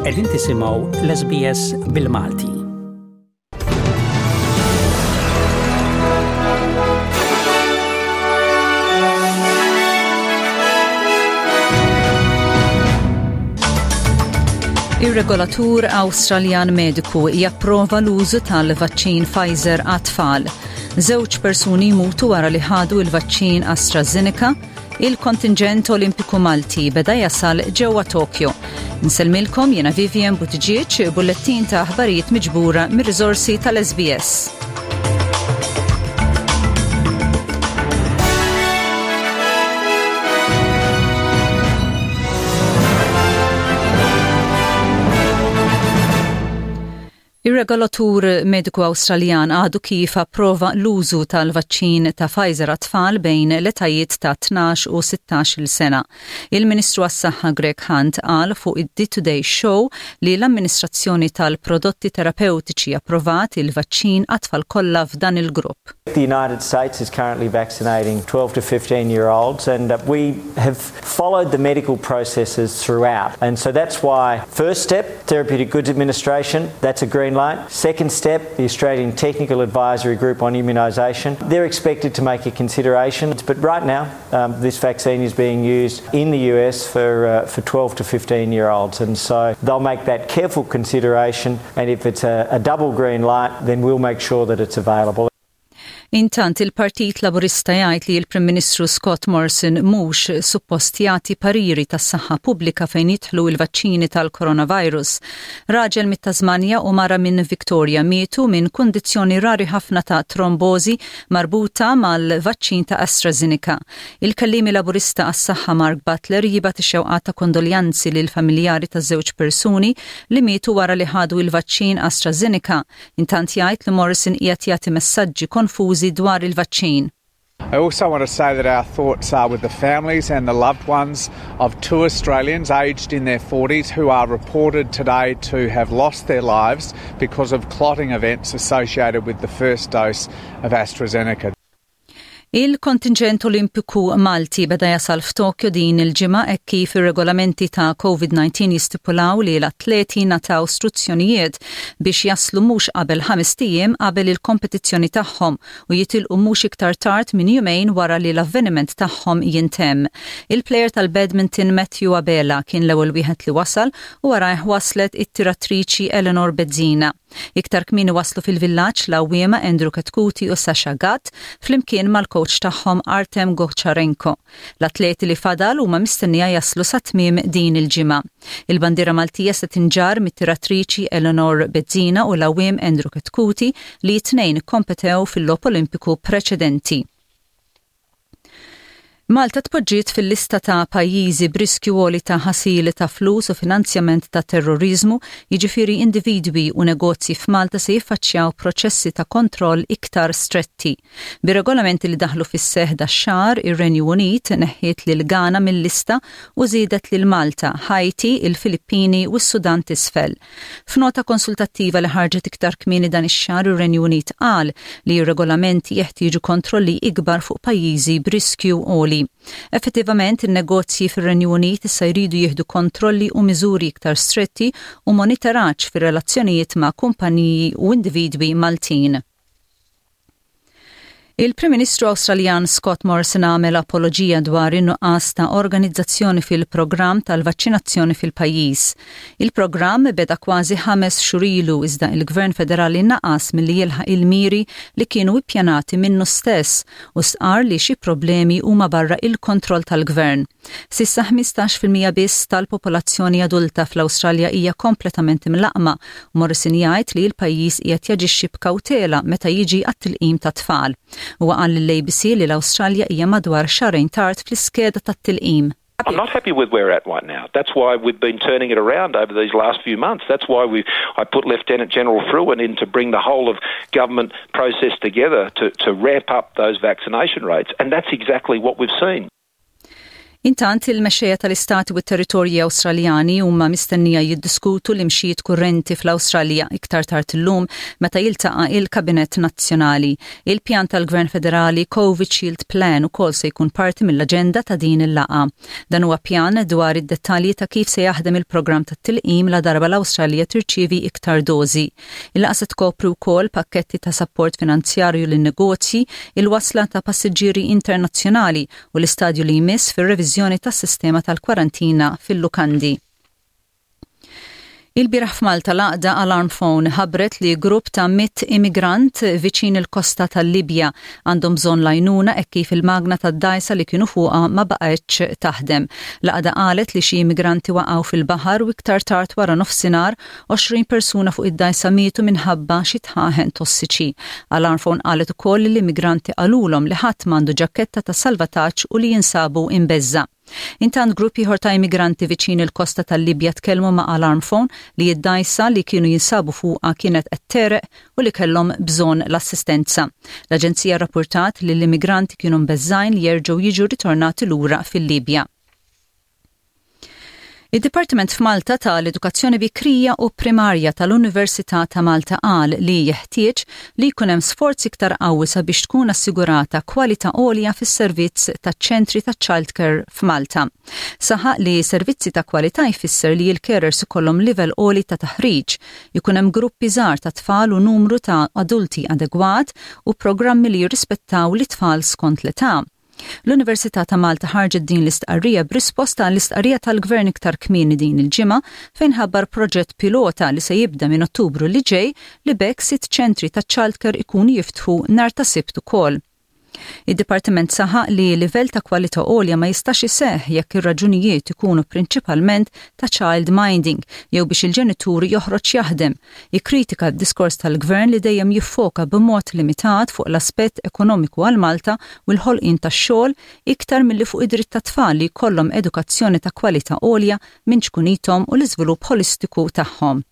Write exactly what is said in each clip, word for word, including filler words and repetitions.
Qegħdin tisimgħu l-S B S bil-Malti. Ir-regolatur Awstraljan mediku japprova l-użu tal-vaċċin Pfizer għat-tfal. Żewġ persuni jmutu wara li ħadu il-vaċċin AstraZeneca. Il-kontingent Olimpiku Malti beda jasal ġewwa Tokyo. Nsellmilkom jiena Vivian Buttigieg, bullettin ta' aħbarijiet miġbura mir-riżorsi tal-S B S. Ir-regolatur mediku Awstraljan għadu kif approva l-użu tal-vaċċin ta' Pfizer għat-tfal bejn l-etajiet ta' tnax u sittax-il sena. Il-Ministru għas-Saħħa Greg Hunt qal fuq id-The Today Show li l-amministrazzjoni tal-prodotti terapeutiċi approvat il-vaċċin għat-tfal kollha f'dan il-grupp. The United States is currently vaccinating twelve to fifteen year olds, and uh, we have followed the medical processes throughout. And so that's why, first step, Therapeutic Goods Administration, that's a green light. Second step, the Australian Technical Advisory Group on Immunisation, they're expected to make a consideration. But right now, um, this vaccine is being used in the U S for, uh, for twelve to fifteen year olds. And so they'll make that careful consideration. And if it's a, a double green light, then we'll make sure that it's available. Intant il-Partit Laburista jgħid li l-Prim Ministru Scott Morrison mhux suppost jagħti pariri tas-saħħa pubblika fejn jidħlu il-vaċċini tal-coronavirus. Raġel mit-Tasmanja u mara minn Victoria mietu minn kundizzjoni rari ħafna ta' trombozi marbuta mal-vaċċin ta' AstraZeneca. Il-kellimi Laburista għas-saħħa Mark Butler jibgħat ix-xewqat ta' kondoljanzi lil familjari ta' żewġ persuni li mietu wara li ħadu il-vaċċin AstraZeneca. Intant jgħid li Morrison qiegħed jagħti messaġġi konfużi dwar il-vaċċin. I also want to say that our thoughts are with the families and the loved ones of two Australians aged in their forties who are reported today to have lost their lives because of clotting events associated with the first dose of AstraZeneca. Il-kontingent Olimpiku Malti beda jasal f'Tokyo din il-ġimgħa hekk kif ir-regolamenti ta' COVID nineteen jistipulaw li l-atleti ngħataw struzzjonijiet biex jaslu mhux qabel ħamest ijiem qabel il-kompetizzjoni tagħhom u jitilqu mhux iktar tard minn jumejn wara li l-avveniment tagħhom jintemm. Il-plejer tal-badminton Matthew Abela kien l-ewwel wieħed li wasal u warajh waslet it-tiratriċi Eleanor Bezzina. Iktar kmieni waslu fil-villaġġ l-għawwiema Andrew Chetcuti u Sasha Gatt flimkien mal-coach tagħhom Artem Gocharenko. L-atleti li fadal huma mistennija jaslu sa tmiem din il-ġimgħa. Il-bandiera Maltija se tinġarr mit-tiratriċi Eleanor Bezzina u l-għawwiem Andrew Chetcuti li t-tnejn kompetew fil-Logħob Olimpiku preċedenti. Malta tpoġġiet fil-lista ta' pajjiżi b'riskju għoli ta' ħasil ta' flus u finanzjament ta' terrorizmu, jiġifieri individwi u negozji f'Malta se jiffaċċjaw proċessi ta' kontroll iktar stretti. Bir-regolamenti li daħlu fis-seħ dax-xahar, ir-Renju Unit neħħiet lil Ghana mill-lista u żiedet lil Malta, Haiti, il-Filippini u s-Sudan t'Isfel. F'nota konsultattiva li ħarġet iktar kmieni dan ix-xahar, ir-Renju Unit qal li r-regolamenti jeħtieġu kontrolli ikbar fuq pajjiżi b'riskju għoli. Effettivament, il-negozji fir-Renju Unit issa jridu jieħdu kontrolli u miżuri iktar stretti u monitoraġġ fir-relazzjonijiet ma' kumpaniji u individwi Maltin. Il-Prim Ministru Awstraljan Scott Morrison għamel apoloġija dwar in-nuqqas ta' organizzazzjoni fil-programm tal-vaċċinazzjoni fil-pajjiż. Il-programm beda kważi ħames xhur ilu, iżda il-Gvern Federali naqas milli jilħaq il-miri li kienu ippjanati minnu stess u stqar li xi problemi huma barra il-kontroll tal-gvern. S'issa ħmistax fil-mija biss tal-popolazzjoni adulta fl-Awstralja hija kompletament imlaqqma. Morrison jgħid li l-pajjiż qiegħed jaġixxi b'kawtela meta jiġi għat-tilqim tat-tfal. Huwa qal lill-A B C li l-Awstralja hija madwar xahrejn tard fl-iskeda tat-tilqim. I'm not happy with where we're at right now. That's why we've been turning it around over these last few months. That's why we I put Lieutenant General Frewen in to bring the whole of government process together to, to ramp up those vaccination rates. And that's exactly what we've seen. Intant il-mexxejja tal-Istati u t-territorji Awstraljani huma mistennija jiddiskutu l-imxijiet kurrenti fl-Awstralja iktar tard illum meta jiltaqa' il-Kabinett Nazzjonali. Il-pjan tal-Gvern Federali Covid Shield Plan ukoll se jkun parti mill-aġenda ta' din il-laqgħa. Dan huwa pjan dwar id-dettalji ta' kif se jaħdem il-programm tat-tilqim la darba l-Awstralja tirċievi iktar dożi. Il-laqgħa se tkopri wkoll pakketti ta' sapport finanzjarju lin-negozji, il-wasla ta' passiġġieri internazzjonali u l-istadju li jmiss fir-reviżjoni tas-sistema tal-kwarantina fil-lukandi. Il-bieraħ f'Malta l-għaqda Alarm Phone ħabbret li grupp ta' mitt immigrant viċin il-kosta tal-Libja għandhom bżonn l-għajnuna hekk kif il-magna tad-dgħajsa li kienu fuqha ma baqgħetx taħdem. L-għaqda qalet li xi immigranti waqgħu fil-baħar u iktar tard wara nofsinhar għoxrin persuna fuq id-dgħajsa mietu minħabba xi dħaħen tossiċi. Alarm Phone qalet ukoll li l-immigranti qalulhom li ħadd m'għandu ġaketta ta' salvataġġ u li jinsabu imbeżżgħa. Intant grupp ieħor ta' immigranti viċin il-kosta tal-Libja tkellmu ma' Alarm Phone li id-dgħajsa li kienu jinsabu fuqha kienet qed tegħreq u li kellhom bżonn l-assistenza. L-aġenzija rapportat li l-immigranti kienu mbeżżgħin li jerġgħu jiġu ritornati lura fil-Libja. Id-Dipartiment f'Malta tal-Edukazzjoni Bikrija u Primarja tal-Università ta' Malta qal li jeħtieġ li jkun hemm sforz iktar qawwi sabiex tkun assigurata kwalità għolja fis-servizz taċ-ċentri ta' childcare f'Malta. Saħaq li servizzi ta' kwalità jfisser li l-carers ikollhom livell għoli ta' taħriġ, ikun hemm gruppi żgħar ta' tfal u numru ta' adulti adegwat u programmi li jirrispettaw l-tfal skont l-età. L-Università ta' Malta ħarġet din l-istqarrija b'risposta għall-istqarrija tal-Gvern iktar kmieni din il-ġimgħa fejn ħabbar proġett pilota li se jibda minn Ottubru li ġej li b'hekk sitt ċentri ta' childcare ikunu jiftħu nhar ta' Sibt ukoll. Id-Dipartiment saħaq li livell ta' kwalità għolja ma jistax iseħħ jekk ir-raġunijiet ikunu prinċipalment ta' child minding jew biex il-ġenitur joħroġ jaħdem. Ikkritika d-diskors tal-gvern li dejjem jiffoka b'mod limitat fuq l-aspett ekonomiku għal Malta u l-ħolqien tax-xogħol iktar milli fuq id-dritt tat-tfal li jkollhom edukazzjoni ta' kwalità għolja minn ċkunithom u l-iżvilupp holistiku tagħhom.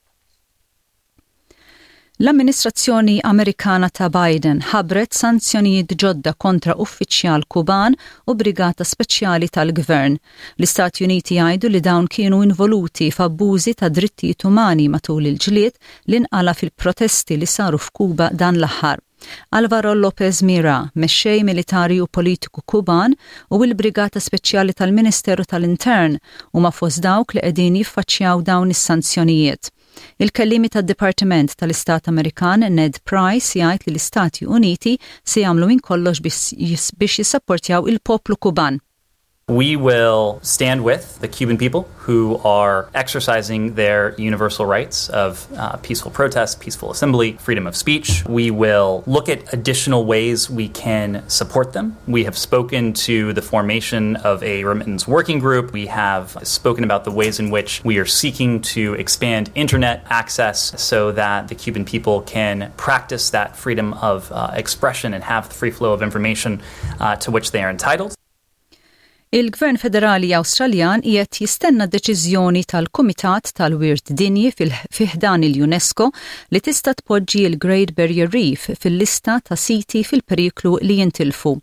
L-amministrazzjoni Amerikana ta' Biden ħabbret sanzjonijiet ġodda kontra uffiċjal Kuban u brigata speċjali tal-gvern. L-Istati Uniti jgħidu li dawn kienu involuti f'abbużi ta' drittijiet umani matul il-ġlied li nqala fil-protesti li saru f'Kuba dan l-aħħar. Alvaro Lopez Mira, mexxej militari u politiku Kuban u l-Brigata Speċjali tal-Ministeru tal-Intern huma fost dawk li qegħdin jiffaċċjaw dawn is-sanzjonijiet. Il-kellimi tad-Dipartiment tal-Istat Amerikan Ned Price jgħid li l-Istati Uniti se jagħmlu minn kollox biex jissapportjaw il-poplu Kuban. We will stand with the Cuban people who are exercising their universal rights of uh, peaceful protest, peaceful assembly, freedom of speech. We will look at additional ways we can support them. We have spoken to the formation of a remittance working group. We have spoken about the ways in which we are seeking to expand internet access so that the Cuban people can practice that freedom of uh, expression and have the free flow of information uh, to which they are entitled. Il-Gvern Federali Awstraljan qiegħed jistenna deċiżjoni tal-Kumitat tal-Wirt Dinji fi ħdan il-UNESCO li tista' tpoġġi il-Great Barrier Reef fil-lista ta' siti fil-periklu li jintilfu.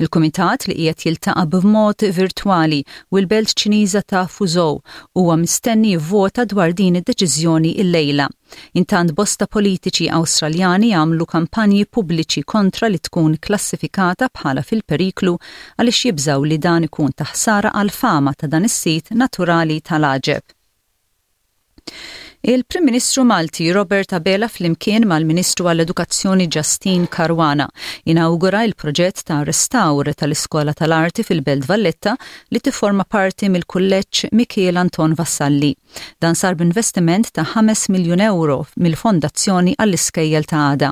Il-Kumitat li qiegħed jiltaqa' b'mod virtwali u l-belt Ċiniża ta' Fuzhou huwa mistenni jivvota dwar din id-deċiżjoni illejla. Intant bosta politiċi Awstraljani għamlu kampanji pubbliċi kontra li tkun klassifikata bħala fil-periklu għaliex jibżaw li dan ikun ta' ħsara għal fama ta' dan is-sit naturali tal-għaġeb. Il-Prim Ministru Malti Robert Abela flimkien mal-Ministru għall-Edukazzjoni Justyne Caruana inawgura il-proġett ta' restawr tal-Iskola tal-Arti fil-Belt Valletta li tifforma parti mill-Kulleġġ Mikiel Anton Vassalli. Dan sar b'investiment ta' ħames miljun euro mill-Fondazzjoni għall-Iskejjel ta' Għada.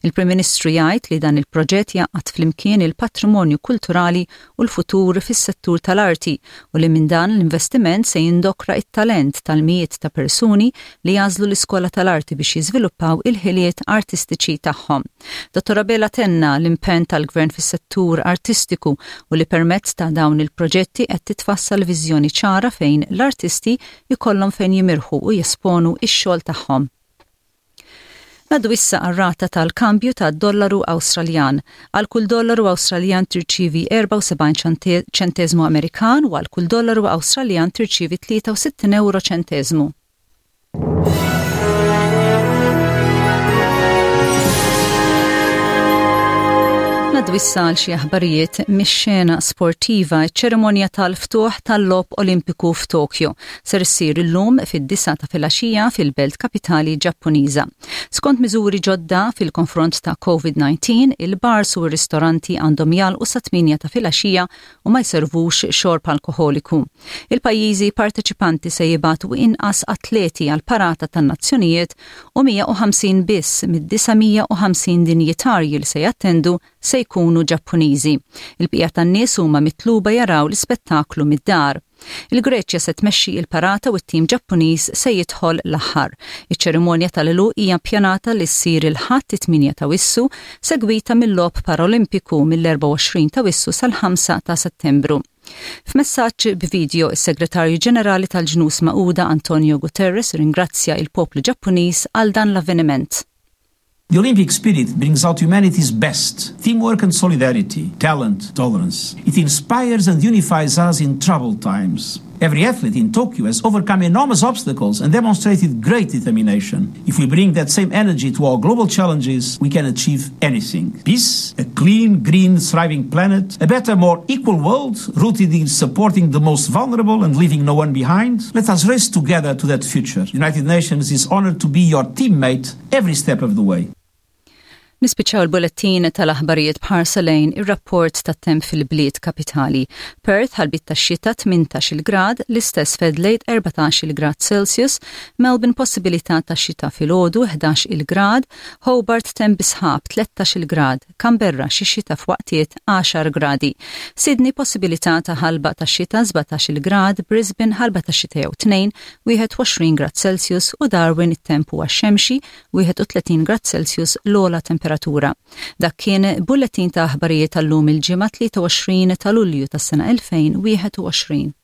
Il-Prim Ministru jgħid li dan il-proġett jgħaqqad flimkien il-patrimonju kulturali u l-futur fis-settur tal-arti u li minn dan l-investiment se jindokra it-talent tal-mijiet ta' persuni li jagħżlu l-iskola tal-arti biex jiżviluppaw il-ħiliet artistiċi tagħhom. Dottor Abela tenna l-impenn tal-gvern fis-settur artistiku u li permezz ta' dawn il-proġetti qed titfassal viżjoni ċara fejn l-artisti jkollhom fejn jimirħu u jesponu ix-xogħol tagħhom. Ngħaddu issa għar-rata tal-kambju ta' dollaru Awstraljan. Għal kull dollaru Awstraljan tirċivi erbgħa u sebgħin ċentesmu Amerikan u għal kull dollaru Awstraljan tirċivi tlieta u sittin euro ċentesmu. Ngħaddu issa għal xi aħbarijiet mix-xena sportiva. Ċerimonja tal-ftuħ tal-Logħob Olimpiku f'Tokyo ser issir illum fid-disgħa ta' filgħaxija fil-belt kapitali Ġappuniża. Skont miżuri ġodda fil-konfront ta' COVID nineteen, il-bars u r-ristoranti għandhom jagħlqu sa tmienja ta' filgħaxija u ma jservux xorb alkoholiku. Il-pajjiżi parteċipanti se jibagħtu inqas atleti għal parata tan-nazzjonijiet u mija u ħamsin biss mid-disa' mija u ħamsin dinjitarji li se jattendu se jkunu Ġappuniżi. Il-bqija tan-nies huma mitluba jaraw l-ispettaklu mid-dar. Il-Greċja se tmexxi il-parata u t-tim Ġappuniż se jidħol l-aħħar. Iċ-ċerimonja tal-għeluq hija ppjanata li ssir il-Ħadd it-tmienja ta' Awwissu, segwita mill-Logħob Paralimpiku mill-erbgħa u għoxrin ta' Awwissu sal-ħamsa ta' Settembru. F'messaġġ b'video, is-Segretarju Ġenerali tal-Ġnus Magħquda Antonio Guterres ringrazzja il-poplu Ġappuniż għal dan l-avveniment. The Olympic spirit brings out humanity's best teamwork and solidarity, talent, tolerance. It inspires and unifies us in troubled times. Every athlete in Tokyo has overcome enormous obstacles and demonstrated great determination. If we bring that same energy to our global challenges, we can achieve anything. Peace, a clean, green, thriving planet, a better, more equal world rooted in supporting the most vulnerable and leaving no one behind. Let us race together to that future. United Nations is honored to be your teammate every step of the way. Nispiċċaw il-bulettin tal-aħbarijiet b'ħarsa lejn ir-rapport tat-temp fil-bliet kapitali. Perth ħalbiet ta' xita, tmintax-il grad, l-istess f'Adelaide, erbatax-il grad Celsius, Melbourne possibilità ta' xita filgħodu, ħdax-il grad, Hobart temp sħab, tlettax-il grad, Canberra xi xita f'waqtiet, għaxar gradi. Sydney possibilità ta' ħalba ta' xita, sbatax-il grad, Brisbane ħalba ta' xita jew tnejn, wieħed u għoxrin grad Celsius u Darwin it-temp huwa xemxi, wieħed u tletin grad Celsius l-ogħla temperatura temperatura. Dak kien bulletin ta' aħbarijiet tal-lum il-Ġimgħa tlieta u għoxrin ta' Lulju tas-sena elfejn u wieħed u għoxrin.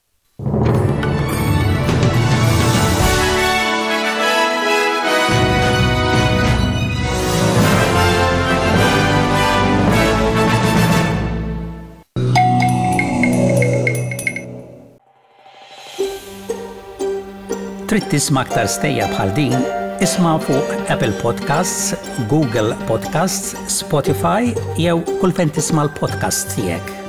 Trid tisma' aktar stejjer bħal din? Isma' fuq Apple Podcasts, Google Podcasts, Spotify jew kull fejn tisma' l-podcast tiegħek.